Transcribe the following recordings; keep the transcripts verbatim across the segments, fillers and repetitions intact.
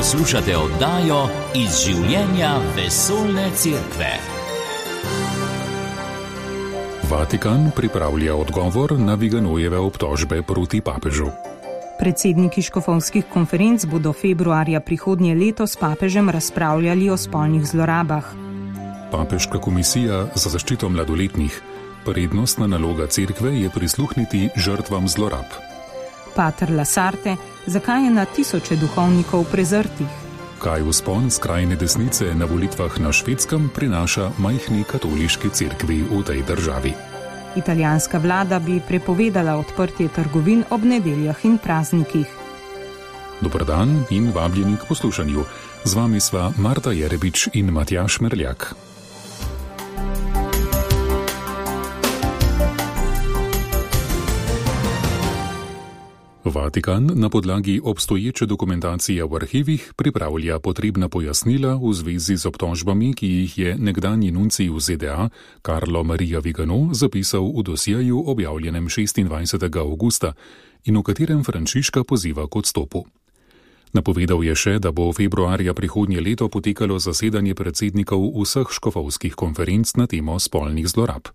Poslušate oddajo Iz življenja vesoljne cerkve. Vatikan pripravlja odgovor na Viganojeve obtožbe proti papežu. Predsedniki škofovskih konferenc bodo februarja prihodnje leto s papežem razpravljali o spolnih zlorabah. Papeška komisija za zaščito mladoletnih. Prednostna naloga cerkve je prisluhniti žrtvam zlorab. Pater Lasarte, zakaj je na tisoče duhovnikov prezrtih? Kaj vzpon skrajne desnice na volitvah na Švedskem prinaša majhni katoliški cerkvi v tej državi? Italijanska vlada bi prepovedala odprtje trgovin ob nedeljah in praznikih. Dober dan in vabljeni k poslušanju. Z vami sva Marta Jerebič in Matjaž Merljak. Vatikan na podlagi obstoječe dokumentacije v arhivih pripravlja potrebna pojasnila v zvezi z obtožbami, ki jih je nekdanji nuncij v Z D A, Carlo Maria Vigano, zapisal v dosjeju objavljenem šestindvajsetega avgusta in v katerem Frančiška poziva k odstopu. Napovedal je še, da bo februarja prihodnje leto potekalo zasedanje predsednikov vseh škofovskih konferenc na temo spolnih zlorab.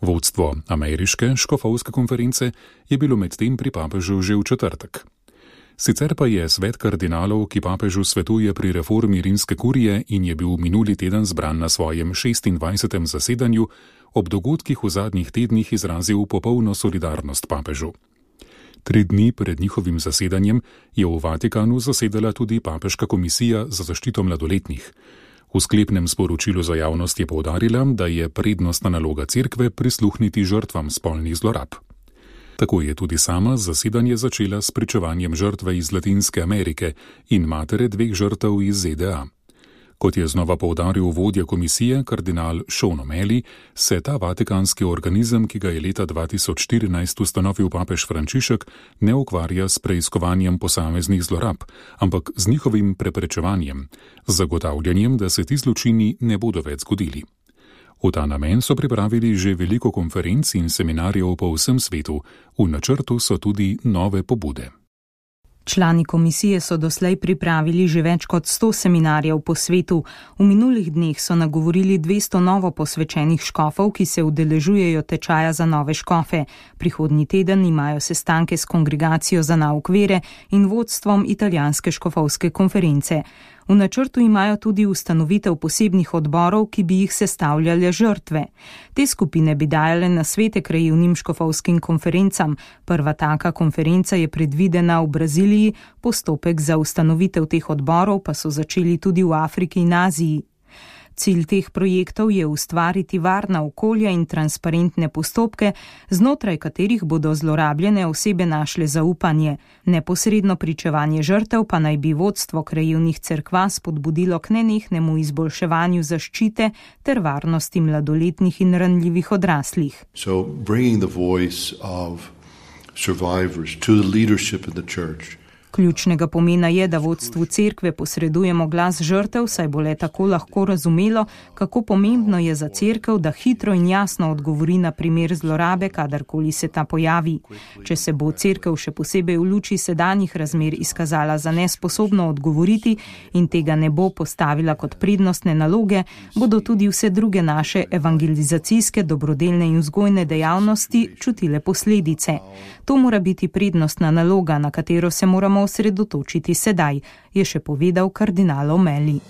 Vodstvo ameriške škofovske konference je bilo medtem pri papežu že v četrtek. Sicer pa je svet kardinalov, ki papežu svetuje pri reformi rimske kurije in je bil minuli teden zbran na svojem šestindvajsetem zasedanju, ob dogodkih v zadnjih tednih izrazil popolno solidarnost papežu. Tri dni pred njihovim zasedanjem je v Vatikanu zasedala tudi papeška komisija za zaščito mladoletnih. V sklepnem sporočilu za javnost je poudarila, da je prednostna naloga cerkve prisluhniti žrtvam spolnih zlorab. Tako je tudi sama zasedanje začela s pričevanjem žrtve iz Latinske Amerike in matere dveh žrtev iz Z D A. Kot je znova poudaril vodja komisije, kardinal Sean O'Malley, se ta vatikanski organizem, ki ga je leta dva tisoč štirinajst ustanovil papež Frančišek, ne ukvarja s preiskovanjem posameznih zlorab, ampak z njihovim preprečevanjem, z zagotavljanjem, da se ti zločini ne bodo več zgodili. V ta namen so pripravili že veliko konferenc in seminarjev po vsem svetu, v načrtu so tudi nove pobude. Člani komisije so doslej pripravili že več kot sto seminarjev po svetu. V minulih dneh so nagovorili dvesto novo posvečenih škofov, ki se udeležujejo tečaja za nove škofe. Prihodnji teden imajo sestanke s kongregacijo za nauk vere in vodstvom italijanske škofovske konference. V načrtu imajo tudi ustanovitev posebnih odborov, ki bi jih sestavljale žrtve. Te skupine bi dajale nasvete krajevnim škofovskim konferencam. Prva taka konferenca je predvidena v Braziliji, postopek za ustanovitev teh odborov pa so začeli tudi v Afriki in Aziji. Cilj teh projektov je ustvariti varna okolja in transparentne postopke, znotraj katerih bodo zlorabljene osebe našle zaupanje. Neposredno pričevanje žrtev pa naj bi vodstvo krajevnih cerkva spodbudilo k nenehnemu izboljševanju zaščite ter varnosti mladoletnih in ranljivih odraslih. So bringing the voice of survivors to the leadership in the church. Ključnega pomena je, da vodstvu cerkve posredujemo glas žrtev, saj bo le tako lahko razumelo, kako pomembno je za cerkev, da hitro in jasno odgovori na primer zlorabe, kadarkoli se ta pojavi. Če se bo cerkev še posebej v luči sedanjih razmer izkazala za nesposobno odgovoriti in tega ne bo postavila kot prednostne naloge, bodo tudi vse druge naše evangelizacijske, dobrodelne in vzgojne dejavnosti čutile posledice. To mora biti prednostna naloga, na katero se moramo osredotočiti sedaj, je še povedal kardinal O'Malley.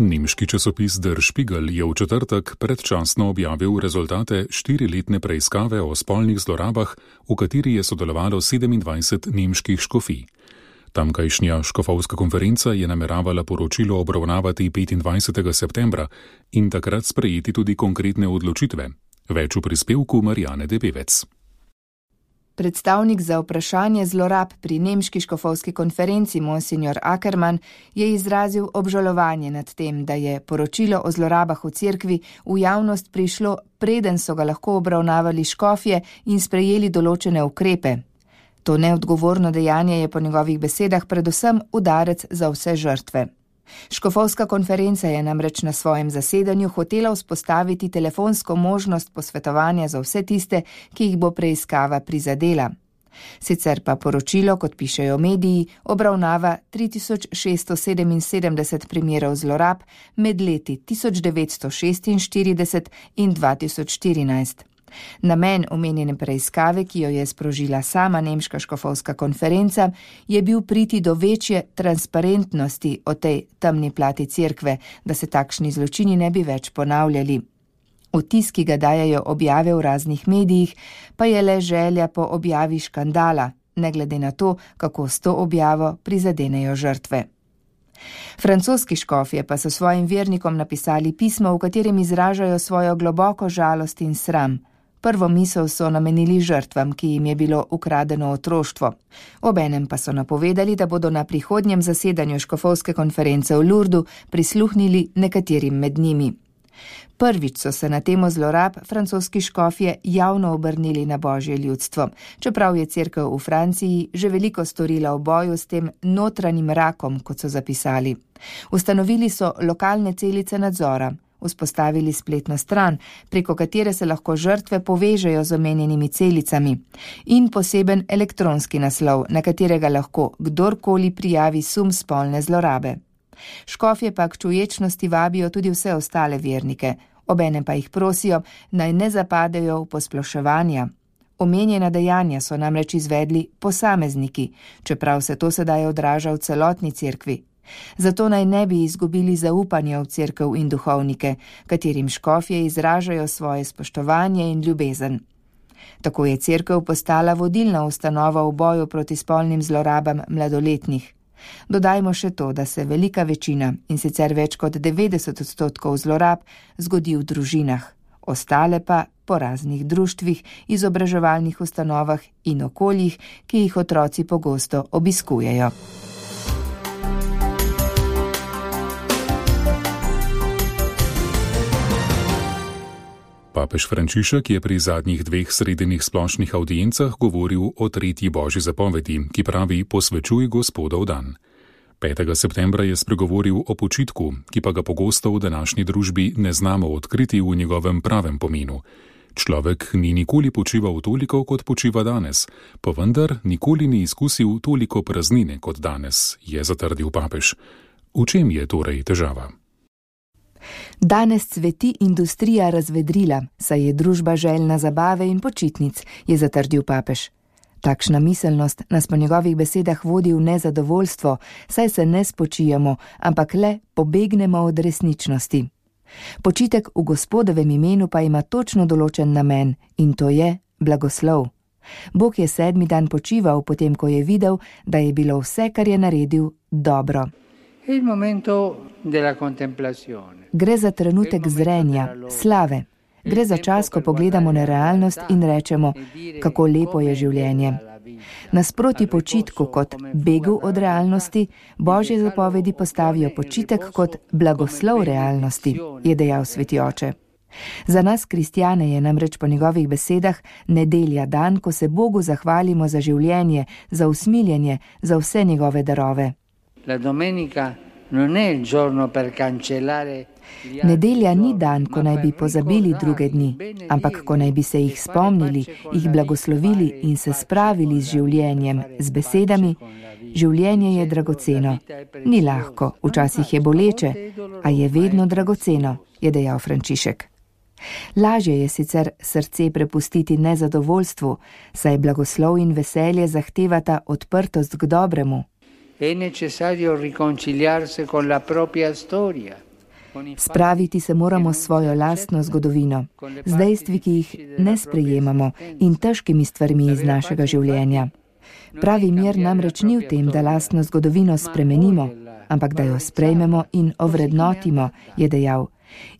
Nemški časopis Der Spiegel je v četrtek predčasno objavil rezultate štiriletne preiskave o spolnih zlorabah, v kateri je sodelovalo sedemindvajset nemških škofij. Tamkajšnja škofovska konferenca je nameravala poročilo obravnavati petindvajsetega septembra in takrat sprejeti tudi konkretne odločitve. Več v prispevku Marijane Debevec. Predstavnik za vprašanje zlorab pri nemški škofovski konferenci Monsignor Ackermann je izrazil obžalovanje nad tem, da je poročilo o zlorabah v cerkvi v javnost prišlo, preden so ga lahko obravnavali škofje in sprejeli določene ukrepe. To neodgovorno dejanje je po njegovih besedah predvsem udarec za vse žrtve. Škofovska konferenca je namreč na svojem zasedanju hotela vzpostaviti telefonsko možnost posvetovanja za vse tiste, ki jih bo preiskava prizadela. Sicer pa poročilo, kot pišejo mediji, obravnava tri tisoč šeststo sedeminsedemdeset primerov zlorab med leti tisoč devetsto šestinštirideset in dva tisoč štirinajst. Namen omenjene preiskave, ki jo je sprožila sama nemška škofovska konferenca, je bil priti do večje transparentnosti o tej temni plati cerkve, da se takšni zločini ne bi več ponavljali. Vtis, ki ga dajejo objave v raznih medijih, pa je le želja po objavi škandala, ne glede na to, kako s to objavo prizadenejo žrtve. Francoski škofje pa so svojim vernikom napisali pismo, v katerem izražajo svojo globoko žalost in sram. Prvo misel so namenili žrtvam, ki jim je bilo ukradeno otroštvo. Obenem pa so napovedali, da bodo na prihodnjem zasedanju škofovske konference v Lourdu prisluhnili nekaterim med njimi. Prvič so se na temo zlorab francoski škofje javno obrnili na božje ljudstvo, čeprav je cerkev v Franciji že veliko storila v boju s tem notranjim rakom, kot so zapisali. Ustanovili so lokalne celice nadzora, vzpostavili spletno stran, preko katere se lahko žrtve povežejo z omenjenimi celicami, in poseben elektronski naslov, na katerega lahko kdorkoli prijavi sum spolne zlorabe. Škofje pa k čuječnosti vabijo tudi vse ostale vernike, obenem pa jih prosijo, naj ne zapadejo v posploševanja. Omenjena dejanja so namreč izvedli posamezniki, čeprav se to sedaj odraža v celotni cerkvi. Zato naj ne bi izgubili zaupanja v cerkev in duhovnike, katerim škofje izražajo svoje spoštovanje in ljubezen. Tako je cerkev postala vodilna ustanova v boju proti spolnim zlorabam mladoletnih. Dodajmo še to, da se velika večina, in sicer več kot devetdeset odstotkov zlorab, zgodi v družinah, ostale pa po raznih društvih, izobraževalnih ustanovah in okoljih, ki jih otroci pogosto obiskujejo. Papež Frančišek je pri zadnjih dveh sredinnih splošnih avdiencah govoril o tretji božji zapovedi, ki pravi: posvečuj Gospodov dan. petega septembra je spregovoril o počitku, ki pa ga pogosto v današnji družbi ne znamo odkriti v njegovem pravem pomenu. Človek ni nikoli počival toliko, kot počiva danes, pa vendar nikoli ni izkusil toliko praznine kot danes, je zatrdil papež. V čem je torej težava? Danes cveti industrija razvedrila, saj je družba željna zabave in počitnic, je zatrdil papež. Takšna miselnost nas po njegovih besedah vodi v nezadovoljstvo, saj se ne spočijemo, ampak le pobegnemo od resničnosti. Počitek v Gospodovem imenu pa ima točno določen namen, in to je blagoslov. Bog je sedmi dan počival, potem ko je videl, da je bilo vse, kar je naredil, dobro. Gre za trenutek zrenja, slave. Gre za čas, ko pogledamo na realnost in rečemo, kako lepo je življenje. Nasproti počitku kot begu od realnosti, božje zapovedi postavijo počitek kot blagoslov realnosti, je dejal sveti oče. Za nas kristjane je namreč po njegovih besedah nedelja dan, ko se Bogu zahvalimo za življenje, za usmiljenje, za vse njegove darove. La domenica non è il giorno per cancellare. Nedelja ni dan, ko naj bi pozabili druge dni, ampak ko naj bi se jih spomnili, jih blagoslovili in se spravili z življenjem, z besedami: življenje je dragoceno. Ni lahko, včasih je boleče, a je vedno dragoceno, je dejal Frančišek. Lažje je sicer srce prepustiti nezadovoljstvu, saj blagoslov in veselje zahtevata odprtost k dobremu. È necessario riconciliarsi con la propria storia. Spraviti se moramo s svojo lastno zgodovino, z dejstvi, ki jih ne sprejemamo, in težkimi stvarmi iz našega življenja. Pravi mir namreč ni v tem, da lastno zgodovino spremenimo, ampak da jo sprejmemo in ovrednotimo, je dejal.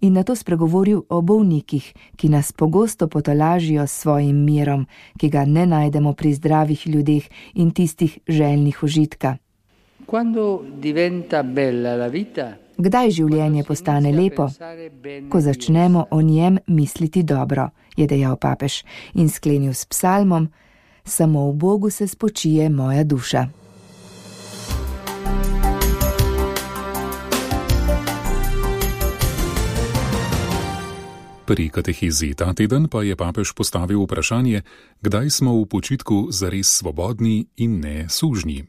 In nato spregovoril o bolnikih, ki nas pogosto potolažijo s svojim mirom, ki ga ne najdemo pri zdravih ljudeh in tistih željnih užitka. Kdaj življenje postane lepo? Ko začnemo o njem misliti dobro, je dejal papež in sklenil s psalmom: samo v Bogu se spočije moja duša. Pri katehezi ta teden pa je papež postavil vprašanje, kdaj smo v počitku zares svobodni in ne sužnji.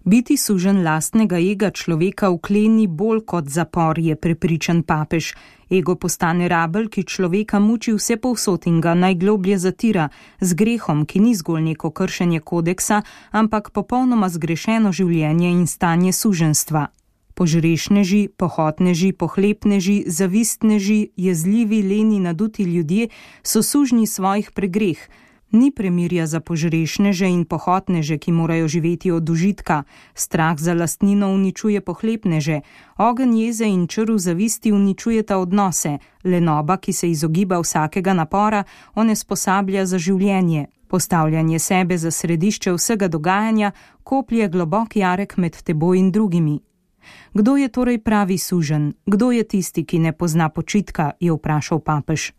Biti sužen lastnega ega človeka vkleni bolj kot zapor, je prepričan papež. Ego postane rabelj, ki človeka muči vse povsod in ga najgloblje zatira, z grehom, ki ni zgolj neko kršenje kodeksa, ampak popolnoma zgrešeno življenje in stanje suženstva. Požrešneži, pohotneži, pohlepneži, zavistneži, jezljivi, leni, naduti ljudje so sužnji svojih pregreh. Ni premirja za požrešneže in pohotneže, ki morajo živeti od užitka. Strah za lastnino uničuje pohlepneže. Ogenj jeze in črv zavisti uničujeta odnose. Lenoba, ki se izogiba vsakega napora, onesposablja za življenje. Postavljanje sebe za središče vsega dogajanja koplje globok jarek med teboj in drugimi. Kdo je torej pravi suženj? Kdo je tisti, ki ne pozna počitka, je vprašal papež.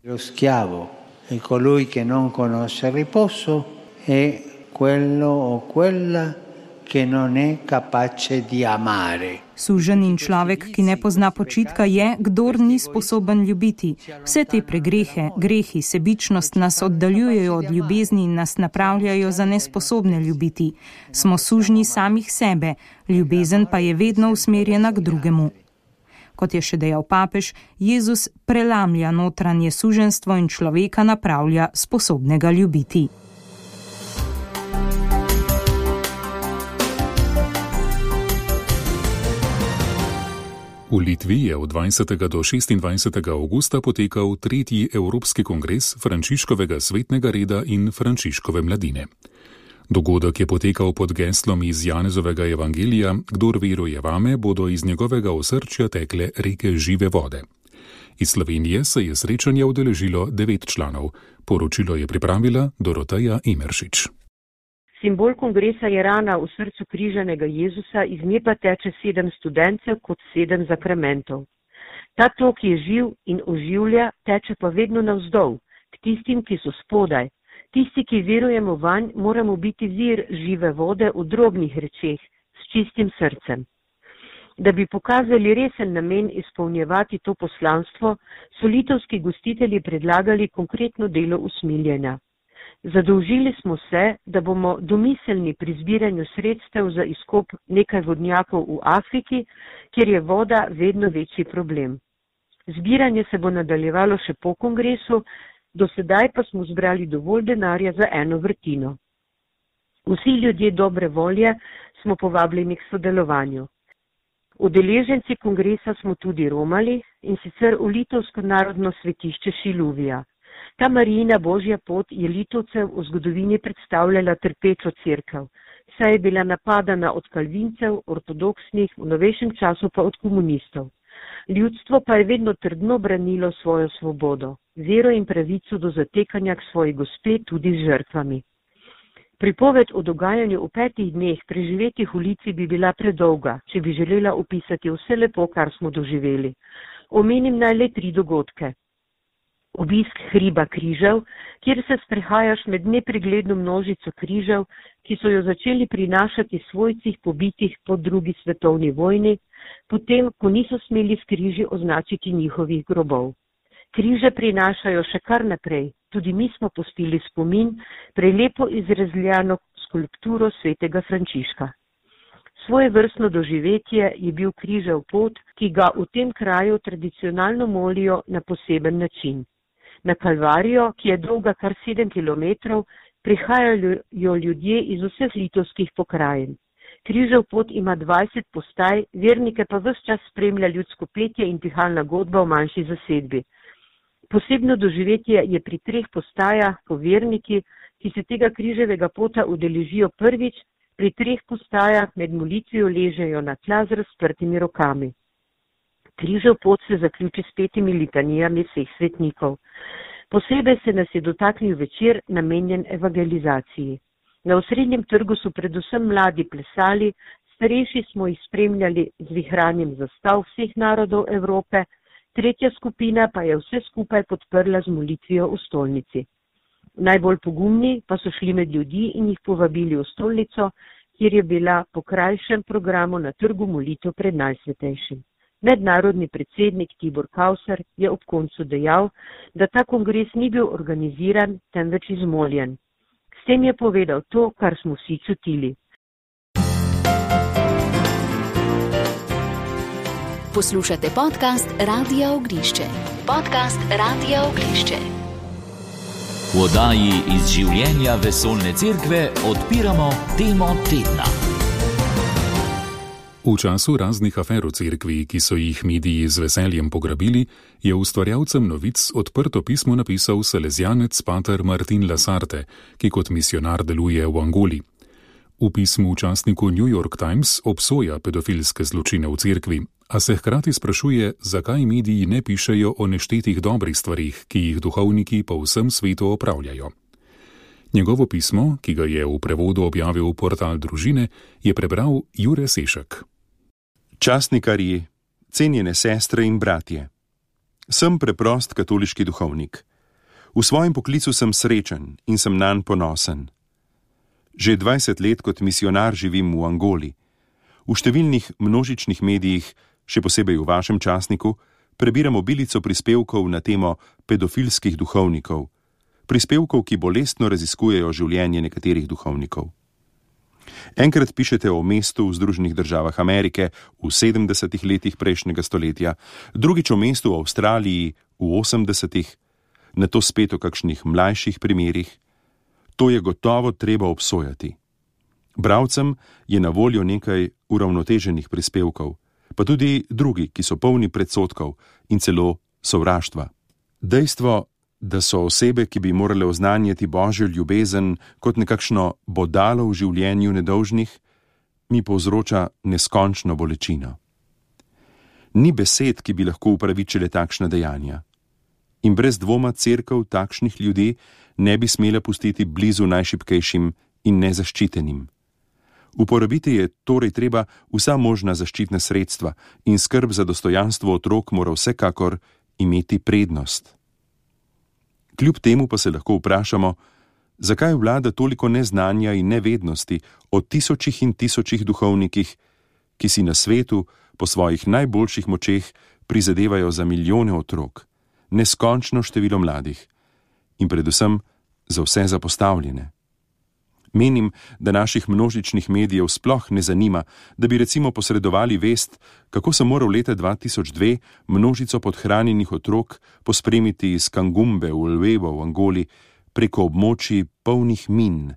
E colui che non conosce riposo è quello o quella che non è capace di amare. Suženj in človek, ki ne pozna počitka, je, kdor ni sposoben ljubiti. Vse te pregrehe, grehi, sebičnost nas oddaljujejo od ljubezni in nas napravljajo za nesposobne ljubiti. Smo sužnji samih sebe, ljubezen pa je vedno usmerjena k drugemu. Kot je še dejal papež, Jezus prelamlja notranje suženstvo in človeka napravlja sposobnega ljubiti. V Litvi je od dvajsetega do šestindvajsetega avgusta potekal tretji Evropski kongres Frančiškovega svetnega reda in Frančiškove mladine. Dogodek je potekal pod geslom iz Janezovega evangelija: Kdor veruje vame, bodo iz njegovega osrčja tekle reke žive vode. Iz Slovenije se je srečanja udeležilo devet članov. Poročilo je pripravila Doroteja Imeršič. Simbol kongresa je rana v srcu križanega Jezusa, iz nje pa teče sedem studencev kot sedem zakramentov. Ta tok je živ in oživlja, teče pa vedno navzdol, k tistim, ki so spodaj. Tisti, ki verujemo vanj, moramo biti vir žive vode v drobnih rečeh, s čistim srcem. Da bi pokazali resen namen izpolnjevati to poslanstvo, so litovski gostitelji predlagali konkretno delo usmiljenja. Zadolžili smo se, da bomo domiselni pri zbiranju sredstev za izkop nekaj vodnjakov v Afriki, kjer je voda vedno večji problem. Zbiranje se bo nadaljevalo še po kongresu, do sedaj pa smo zbrali dovolj denarja za eno vrtino. Vsi ljudje dobre volje smo povabljeni k sodelovanju. Udeleženci kongresa smo tudi romali, in sicer v litovsko narodno svetišče Šiluvija. Ta Marijina božja pot je Litovcev v zgodovini predstavljala trpečo cerkev, saj je bila napadana od kalvincev, ortodoksnih, v novejšem času pa od komunistov. Ljudstvo pa je vedno trdno branilo svojo svobodo, vero in pravico do zatekanja k svoji gospe tudi z žrtvami. Pripoved o dogajanju v petih dneh preživetih v Litvi bi bila predolga, če bi želela opisati vse lepo, kar smo doživeli. Omenim naj le tri dogodke. Obisk hriba križev, kjer se sprehajaš med nepregledno množico križev, ki so jo začeli prinašati svojcih pobitih po drugi svetovni vojni, potem, ko niso smeli s križi označiti njihovih grobov. Križe prinašajo še kar naprej, tudi mi smo pustili spomin, prelepo izrezljano skulpturo svetega Frančiška. Svoje vrstno doživetje je bil križev pot, ki ga v tem kraju tradicionalno molijo na poseben način. Na Kalvarijo, ki je dolga kar sedem kilometrov, prihajajo ljudje iz vseh litovskih pokrajin. Križev pot ima dvajset postaj, vernike pa ves čas spremlja ljudsko petje in pihalna godba v manjši zasedbi. Posebno doživetje je pri treh postajah, ko verniki, ki se tega križevega pota udeležijo prvič, pri treh postajah med molitvijo ležejo na tla z razprtimi rokami. Križev pot se zaključi s petimi litanijami vseh svetnikov. Posebej se nas je dotaknil večer, namenjen evangelizaciji. Na osrednjem trgu so predvsem mladi plesali, starejši smo jih spremljali z vihranjem zastav vseh narodov Evrope, tretja skupina pa je vse skupaj podprla z molitvijo v stolnici. Najbolj pogumni pa so šli med ljudi in jih povabili v stolnico, kjer je bila po krajšem programu na trgu molitev pred Najsvetejšim. Mednarodni predsednik Tibor Kauser je ob koncu dejal, da ta kongres ni bil organiziran, temveč izmoljen. S tem je povedal to, kar smo vsi čutili. Poslušate podcast Radia Ognišče. Podcast Radia Ognišče. V oddaji iz življenja Vesoljne cerkve odpiramo temo tedna. V času raznih afer v cerkvi, ki so jih mediji z veseljem pograbili, je ustvarjalcem novic odprto pismo napisal salezijanec pater Martin Lasarte, ki kot misionar deluje v Angoli. V pismu v časniku New York Times obsoja pedofilske zločine v cerkvi, a se hkrati sprašuje, zakaj mediji ne pišejo o neštetih dobrih stvarih, ki jih duhovniki po vsem svetu opravljajo. Njegovo pismo, ki ga je v prevodu objavil portal Družine, je prebral Jure Sešek. Častnikarji, cenjene sestre in bratje. Sem preprost katoliški duhovnik. V svojem poklicu sem srečen in sem nanj ponosen. Že dvajset let kot misionar živim v Angoli. V številnih množičnih medijih, še posebej v vašem časniku, prebiram obilico prispevkov na temo pedofilskih duhovnikov, prispevkov, ki bolestno raziskujejo življenje nekaterih duhovnikov. Enkrat pišete o mestu v Združenih državah Amerike v sedemdesetih letih prejšnjega stoletja, drugič o mestu v Avstraliji v osemdesetih, nato spet o kakšnih mlajših primerih. To je gotovo treba obsojati. Bralcem je na voljo nekaj uravnoteženih prispevkov, pa tudi drugi, ki so polni predsodkov in celo sovraštva. Dejstvo, da so osebe, ki bi morale oznanjati Božjo ljubezen kot nekakšno bodalo v življenju nedolžnih, mi povzroča neskončno bolečino. Ni besed, ki bi lahko upravičile takšna dejanja. In brez dvoma cerkev takšnih ljudi ne bi smela pustiti blizu najšibkejšim in nezaščitenim. Uporabiti je torej treba vsa možna zaščitna sredstva in skrb za dostojanstvo otrok mora vsekakor imeti prednost. Kljub temu pa se lahko vprašamo, zakaj vlada toliko neznanja in nevednosti o tisočih in tisočih duhovnikih, ki si na svetu po svojih najboljših močeh prizadevajo za milijone otrok, neskončno število mladih in predvsem za vse zapostavljene. Menim, da naših množičnih medijev sploh ne zanima, da bi recimo posredovali vest, kako sem moral leta dva tisoč dve množico podhranjenih otrok pospremiti iz Kangumbe v Lwebo v Angoli preko območij polnih min,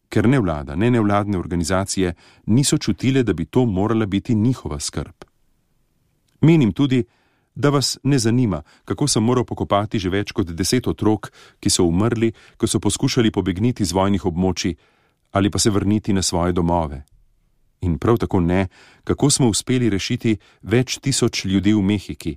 ker ne vlada, ne nevladne organizacije niso čutile, da bi to morala biti njihova skrb. Menim tudi, da vas ne zanima, kako sem moral pokopati že več kot deset otrok, ki so umrli, ko so poskušali pobegniti z vojnih območij ali pa se vrniti na svoje domove. In prav tako ne, kako smo uspeli rešiti več tisoč ljudi v Mehiki,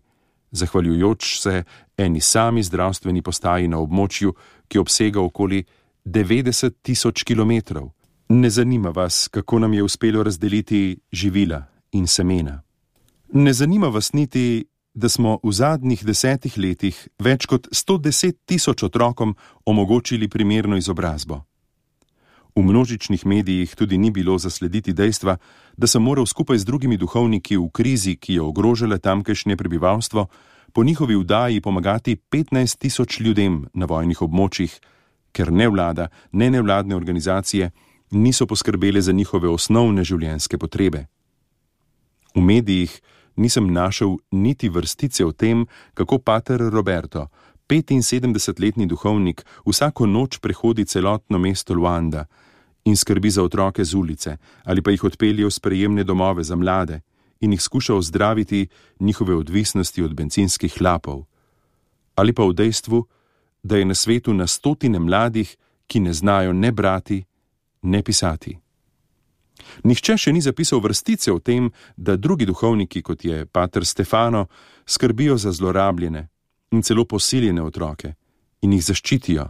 zahvaljujoč se eni sami zdravstveni postaji na območju, ki obsega okoli devetdeset tisoč kilometrov. Ne zanima vas, kako nam je uspelo razdeliti živila in semena. Ne zanima vas niti, da smo v zadnjih desetih letih več kot sto deset tisoč otrokom omogočili primerno izobrazbo. V množičnih medijih tudi ni bilo zaslediti dejstva, da sem moral skupaj z drugimi duhovniki v krizi, ki je ogrožala tamkajšnje prebivalstvo, po njihovi vdaji pomagati petnajst tisoč ljudem na vojnih območjih, ker ne vlada, ne nevladne organizacije niso poskrbele za njihove osnovne življenjske potrebe. V medijih nisem našel niti vrstice o tem, kako pater Roberto, petinsedemdesetletni duhovnik, vsako noč prehodi celotno mesto Luanda in skrbi za otroke z ulice, ali pa jih odpelje v sprejemne domove za mlade in jih skuša ozdraviti njihove odvisnosti od bencinskih hlapov. Ali pa v dejstvu, da je na svetu na stotine mladih, ki ne znajo ne brati, ne pisati. Nihče še ni zapisal vrstice o tem, da drugi duhovniki, kot je pater Stefano, skrbijo za zlorabljene in celo posiljene otroke in jih zaščitijo.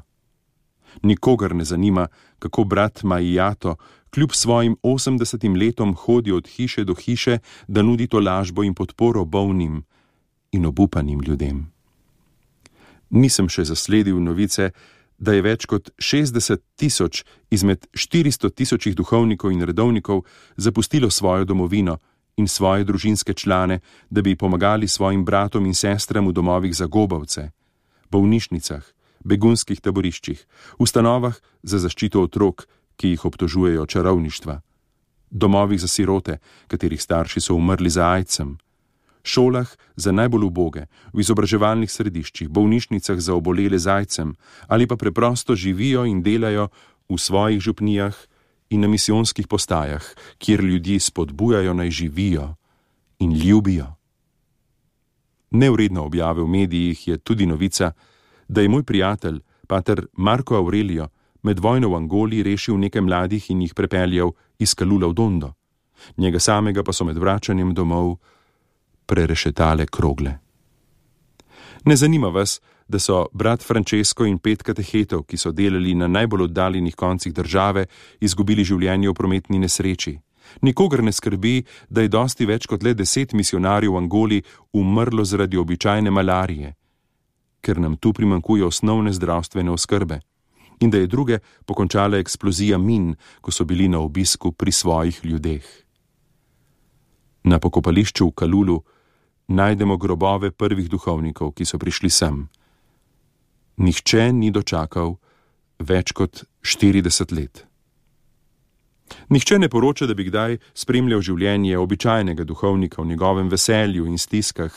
Nikogar ne zanima, kako brat Majijato kljub svojim osemdesetim letom hodi od hiše do hiše, da nudi tolažbo in podporo bolnim in obupanim ljudem. Nisem še zasledil novice, da je več kot šestdeset tisoč izmed štiristo tisočih duhovnikov in redovnikov zapustilo svojo domovino in svoje družinske člane, da bi pomagali svojim bratom in sestram v domovih za gobavce, bolnišnicah, begunskih taboriščih, ustanovah za zaščito otrok, ki jih obtožujejo čarovništva, domovih za sirote, katerih starši so umrli za aidsom, šolah za najbolj uboge, v izobraževalnih središčih, bolnišnicah za obolele z aidsom ali pa preprosto živijo in delajo v svojih župnijah in na misijonskih postajah, kjer ljudi spodbujajo naj živijo in ljubijo. Nevredno objave v medijih je tudi novica, da je moj prijatelj, pater Marko Aurelio, med vojno v Angoli rešil nekaj mladih in jih prepeljal iz Kalula v Dondo. Njega samega pa so med vračanjem domov prerešetale krogle. Ne zanima vas, da so brat Francesco in pet katehetov, ki so delali na najbolj oddaljenih koncih države, izgubili življenje v prometni nesreči. Nikogar ne skrbi, da je dosti več kot le deset misionarjev v Angoli umrlo zaradi običajne malarije, ker nam tu primanjkuje osnovne zdravstvene oskrbe, in da je druge pokončala eksplozija min, ko so bili na obisku pri svojih ljudeh. Na pokopališču v Kalulu najdemo grobove prvih duhovnikov, ki so prišli sem. Nihče ni dočakal več kot štirideset let. Nihče ne poroča, da bi kdaj spremljal življenje običajnega duhovnika v njegovem veselju in stiskah,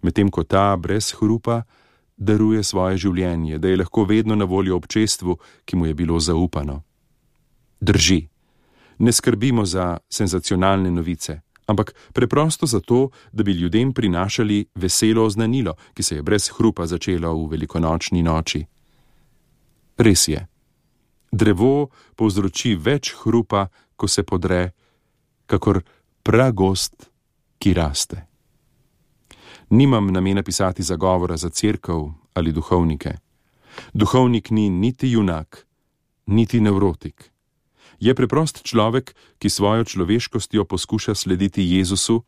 medtem ko ta brez hrupa daruje svoje življenje, da je lahko vedno na voljo občestvu, ki mu je bilo zaupano. Drži, ne skrbimo za senzacionalne novice, ampak preprosto zato, da bi ljudem prinašali veselo oznanilo, ki se je brez hrupa začelo v velikonočni noči. Res je, drevo povzroči več hrupa, ko se podre, kakor pragost, ki raste. Nimam namena pisati zagovora za cerkev ali duhovnike. Duhovnik ni niti junak, niti nevrotik. Je preprost človek, ki svojo človeškostjo poskuša slediti Jezusu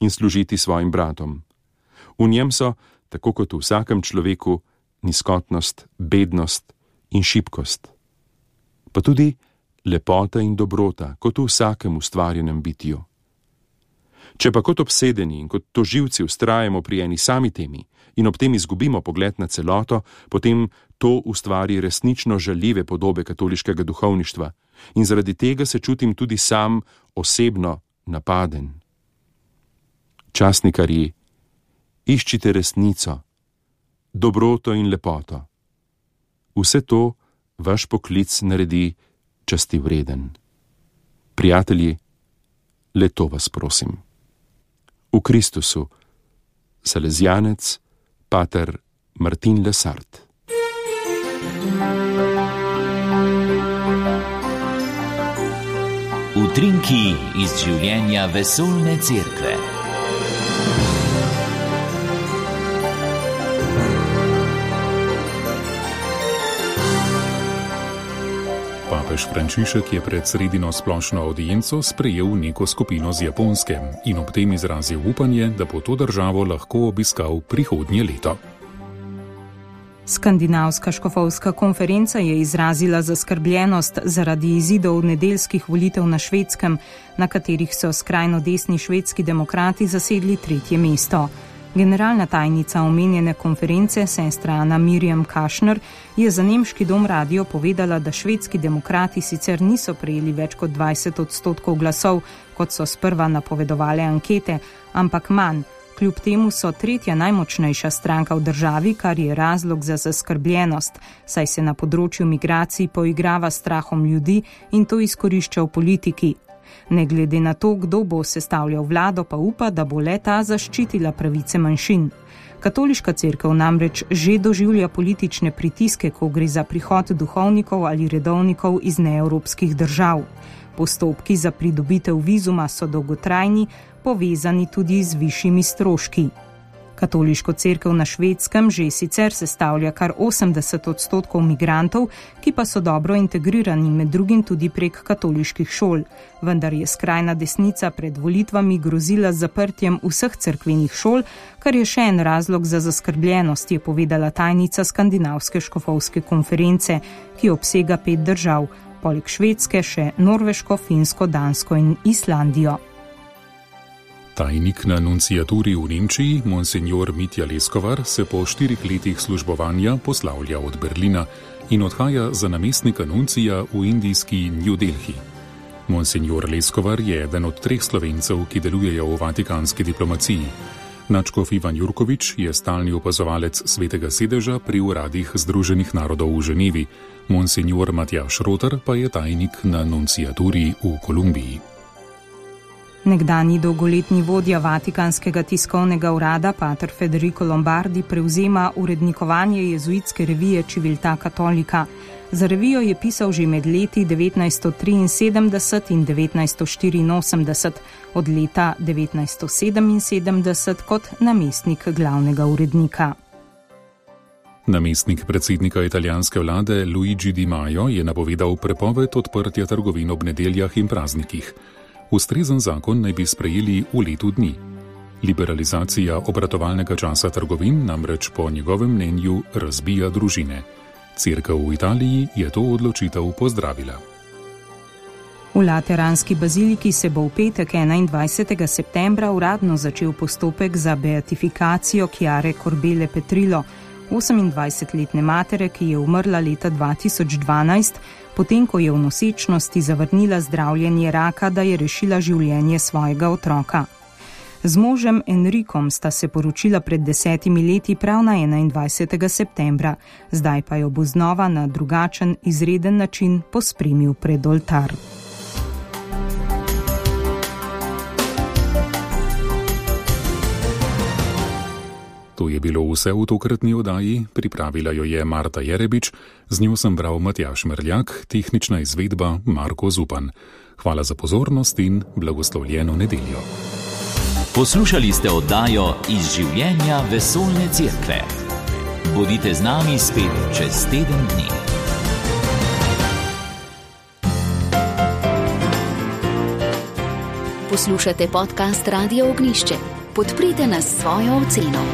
in služiti svojim bratom. V njem so, tako kot v vsakem človeku, nizkotnost, bednost in šibkost. Pa tudi lepota in dobrota, kot v vsakem ustvarjenem bitju. Če pa kot obsedeni in kot tožilci vztrajamo pri eni sami temi in ob tem izgubimo pogled na celoto, potem to ustvari resnično žaljive podobe katoliškega duhovništva in zaradi tega se čutim tudi sam osebno napaden. Časnikarji, iščite resnico, dobroto in lepoto. Vse to vaš poklic naredi časti vreden. Prijatelji, le to vas prosim. V Kristusu, Salezjanec, pater Martin Lesart. Utrinki iz življenja vesoljne cerkve. Papež Frančišek je pred sredino splošno avdienco sprejel neko skupino z Japonske in ob tem izrazil upanje, da bo to državo lahko obiskal prihodnje leto. Skandinavska škofovska konferenca je izrazila zaskrbljenost zaradi izidov nedeljskih volitev na Švedskem, na katerih so skrajno desni švedski demokrati zasedli tretje mesto. Generalna tajnica omenjene konference, sestra Ana Mirjam Kašner, je za nemški dom radio povedala, da švedski demokrati sicer niso prejeli več kot dvajset odstotkov glasov, kot so sprva napovedovale ankete, ampak manj. Kljub temu so tretja najmočnejša stranka v državi, kar je razlog za zaskrbljenost, saj se na področju migracij poigrava strahom ljudi in to izkorišča v politiki. Ne glede na to, kdo bo sestavljal vlado, pa upa, da bo le-ta zaščitila pravice manjšin. Katoliška cerkev namreč že doživlja politične pritiske, ko gre za prihod duhovnikov ali redovnikov iz neevropskih držav. Postopki za pridobitev vizuma so dolgotrajni, povezani tudi z višjimi stroški. Katoliško cerkev na Švedskem že sicer sestavlja kar osemdeset odstotkov migrantov, ki pa so dobro integrirani, med drugim tudi prek katoliških šol. Vendar je skrajna desnica pred volitvami grozila z zaprtjem vseh cerkvenih šol, kar je še en razlog za zaskrbljenost, je povedala tajnica Skandinavske škofovske konference, ki obsega pet držav, poleg Švedske še Norveško, Finsko, Dansko in Islandijo. Tajnik na nunciaturi v Nemčiji, monsignor Mitja Leskovar, se po štirih letih službovanja poslavlja od Berlina in odhaja za namestnika nuncija v indijski New Delhi. Monsignor Leskovar je eden od treh Slovencev, ki delujejo v vatikanski diplomaciji. Nadškof Ivan Jurkovič je stalni opazovalec Svetega sedeža pri uradih Združenih narodov v Ženevi. Monsignor Matjaž Rotar pa je tajnik na nunciaturi v Kolumbiji. Nekdanji dolgoletni vodja Vatikanskega tiskovnega urada, pater Federico Lombardi, prevzema urednikovanje jezuitske revije Civiltà Cattolica. Za revijo je pisal že med leti devetnajststo triinsedemdeset in devetnajststo štiriinosemdeset, od leta devetnajststo sedeminsedemdeset kot namestnik glavnega urednika. Namestnik predsednika italijanske vlade Luigi Di Maio je napovedal prepoved odprtja trgovin ob nedeljah in praznikih. Ustrezen zakon naj bi sprejeli v letu dni. Liberalizacija obratovalnega časa trgovin namreč po njegovem mnenju razbija družine. Cerkev v Italiji je to odločitev pozdravila. V Lateranski baziliki se bo v petek enaindvajsetega septembra uradno začel postopek za beatifikacijo Chiare Corbele Petrillo, osemindvajsetletne matere, ki je umrla leta dva tisoč dvanajst, potem ko je v nosečnosti zavrnila zdravljenje raka, da je rešila življenje svojega otroka. Z možem Enrikom sta se poročila pred desetimi leti prav na enaindvajsetega septembra, zdaj pa jo bo znova na drugačen, izreden način pospremil pred oltar. To je bilo vse v tokratni oddaji, pripravila jo je Marta Jerebič, z njo sem bral Matjaž Merljak, tehnična izvedba Marko Zupan. Hvala za pozornost in blagoslovljeno nedeljo. Poslušali ste oddajo Iz življenja vesoljne cerkve. Bodite z nami spet čez teden dni. Poslušate podcast Radio Ognišče. Podprite nas s svojo oceno.